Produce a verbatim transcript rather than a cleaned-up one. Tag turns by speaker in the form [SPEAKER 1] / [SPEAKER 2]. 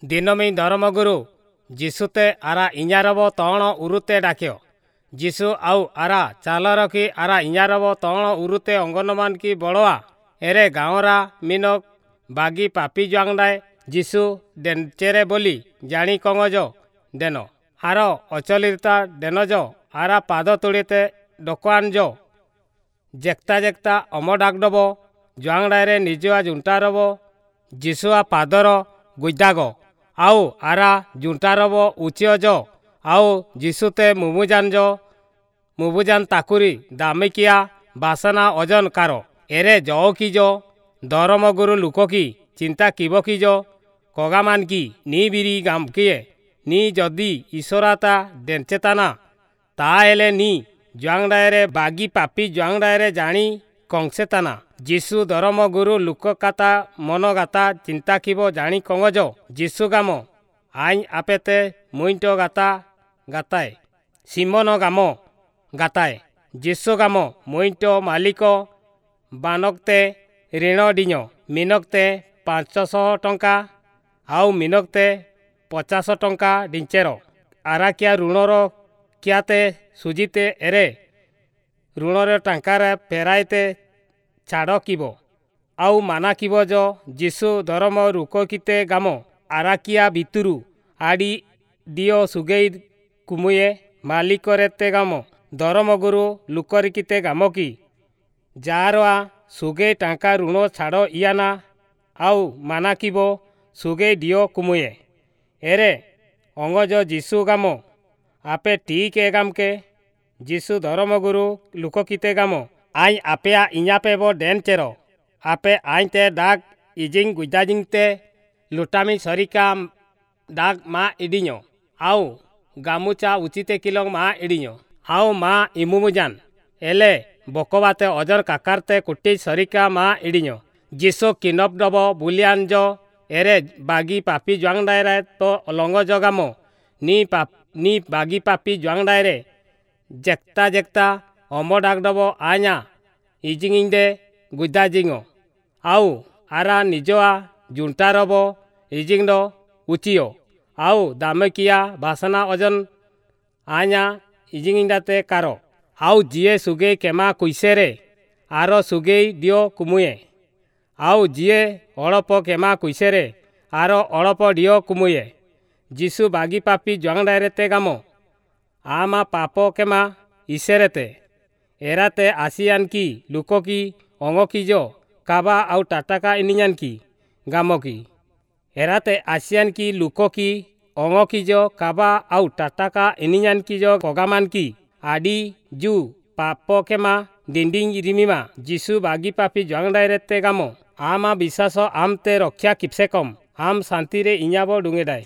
[SPEAKER 1] ଦିନମି ଧରମଗୁରୁ ଯୀଶୁତେ ଆରା ଇଞ୍ଜାରବ ତଣ ଉରୁତେ ଡାକିଅ। ଯୀଶୁ ଆଉ ଆରା ଚାଲ ରଖି ଆରା ଇଞ୍ଜାରବ ତଣ ଉରୁତେ ଅଙ୍ଗନମାନ କି ବଡ଼ଆ ଏରେ ଗାଁରା ମିନକ ବାଗି ପାପି ଜୁଆଙ୍ଗଡ଼ାଏ ଯୀଶୁ ଡେଞ୍ଚେରେ ବୋଲି ଜାଣି କଙ୍ଗଜ ଦେନ ଆର ଅଚଲିତା ଡେନଜ ଆରା ପାଦ ତୁଳିତେ ଡକଆନଜ ଜେକ୍ତା ଜେକ୍ତା ଅମ ଡାକଡବ ଜୁଆଙ୍ଗଡ଼ାରେ ନିଜୁଆ ଜୁଣ୍ଟାରବ ଯୀଶୁଆ ପାଦର ଗୁଇଦାଗ ଆଉ ଆରା ଜୁଣ୍ଟାରବ ଉଚିଅଜ ଆଉ ଯୀଶୁତେ ମୁମୁଜାନଜ ମୁବୁଜାନ ତାକୁରି ଦାମିକିଆ ବାସନା ଅଜନ କାର ଏରେ ଜଅ ଦରମଗୁରୁ ଲୁକକି ଚିନ୍ତା କିବ କିଜ କଗାମାନ କି ନି ବିରି ଗାମକିଏ ନି ଯଦି ଈଶ୍ୱରାତା ଡେଞ୍ଚେତାନା ତାହେଲେ ନି ଜୁଆଙ୍ଗଡ଼ାଏରେ ବାଗି ପାପି ଜୁଆଙ୍ଗଡ଼ାଏରେ ଜାଣି କଂସେତାନା। ଯୀଶୁ ଦରମ ଗୁରୁ ଲୁକକାତା ମନଗାତା ଚିନ୍ତା କିବ ଜାଣି କଙ୍ଗଜ ଯୀଶୁ ଗାମ ଆଇନ ଆପେତେ ମୁଇଣ୍ଟ ଗାତା ଗାତାଏ ସିମନ ଗାମ ଗାତାଏ ଯୀଶୁ ଗାମ ମୁଇଣ୍ଟ ମାଲିକ ବାନକ୍ତେ ଋଣ ଡିഞ്ഞ ମିନକ୍ତେ ପାଞ୍ଚଶହ ଟଙ୍କା ଆଉ ମିନକ୍ତେ ପଚାଶ ଟଙ୍କା ଡିଞ୍ଚେର ଆରାକିଆ ଋଣର କିଆତେ ସୁଜିତେ ଏରେ ଋଣର ଟଙ୍କାରେ ଫେରାଇତେ ଛାଡ଼ କିବ ଆଉ ମାନା କିବ ଜ ଯୀଶୁ ଧରମ ରୁକକିତେ ଗାମ ଆରାକିଆ ଭିତରୁ ଆଡ଼ି ଦିଅ ସୁଗେଇ କୁମୁଏ ମାଲିକରେତେ ଗାମ ଦରମଗୁରୁ ଲୁକରିକିତେ ଗାମ କି ଯାରଆ ସୁଗେଇ ଟଙ୍କା ଋଣ ଛାଡ଼ ଇଆନା ଆଉ ମାନା କିବ ସୁଗେଇ ଦିଅ କୁମୁଏ ଏରେ ଅଙ୍ଗଜ ଯୀଶୁ ଗାମ ଆପେ ଠିକ୍ ଏ ଗାମକେ। ଯୀଶୁ ଧରମଗୁରୁ ଲୁକକିତେ ଗାମ I ଆପେଆ ଇኛପେବ ଡେନ୍ ଚେର ଆପେ ଆଇତେ ଡାକ ଇଜିଂ ଗୁଇଦାଜିଂତେ ଲୁଟାମି ସରିକା ଡାକ ମା ଇଡ଼ିഞ്ഞ ଆଉ ଗାମୁଚା ଉଚିତେ କିଲଂ ମା ଇଡ଼ିഞ്ഞ ଆଉ ମା ଇମୁମୁଜାନ ଏଲେ ବକବାତେ ଅଜର କାକାରତେ କୁଟି ସରିକା ମା ଇଡ଼ିഞ്ഞ। ଯୀଶୁ କିନପ ଡବ ବୁଲିଆନଜ ଏରେ ବାଗି ପାପି ଜୁଆଙ୍ଗଡ଼ାଏରେ ତ ଲଙ୍ଗଜ ଗାମ ନି ପାପ ନି ବାଗି ପାପି ଜୁଆଙ୍ଗଡ଼ାଏରେ ଜେକ୍ତା ଜେକ୍ତା ଅମ ଡାକଡବ ଆ냐 ଇଜିଙ୍ଗିଂଦେ ଗୁଇଦାଜିଙ୍ଗ ଆଉ ଆରା ନିଜଆ ଜୁଣ୍ଟାରବ ଇଜିଙ୍ଗଡ ଉଚିଅ ଆଉ ଦାମକିଆ ବାସନା ଅଜନ ଆ냐 ଇଜିଙ୍ଗିଂଡାତେ କାର ଆଉ ଯିଏ ସୁଗେଇ କେମା କୁଇସେରେ ଆର ସୁଗେଇ ଦିଅ କୁମୁଏ ଆଉ ଯିଏ ଅଳପ କେମା କୁଇସେରେ ଆର ଅଳପ ଦିଅ କୁମୁଏ। ଯୀଶୁ ବାଗି ପାପି ଜୁଆଙ୍ଗଡ଼ାଏରେତେ ଗାମ ଆମା ପାପ କେମା ଇସେରେତେ ଏରାତେ ଆସିଆନ କି ଲୁକକି ଅଙ୍ଗକିଜ କାବା ଆଉ ଟାଟାକା ଇନିଆନ କି ଗାମକି ଏରାତେ ଆସିଆନ କି ଲୁକକି ଅଙ୍ଗକିଜ କାବା ଆଉ ଟାଟାକା ଇନିଆନ କିଜ କଗାମାନ କି ଆଡ଼ି ଜୁ ପାପ କେମା ଡିଣ୍ଡିଂ ରିମିମା। ଯୀଶୁ ବାଗି ପାପି ଜୁଆଙ୍ଗଡ଼ାଏରେତେ ଗାମ ଆମା ବିଶ୍ୱାସ ଆମତେ ରକ୍ଷା କିପ୍ସେ କମ ଆମ୍ ଶାନ୍ତିରେ ଇኛବ ଡୁଙ୍ଗେଡାଏ।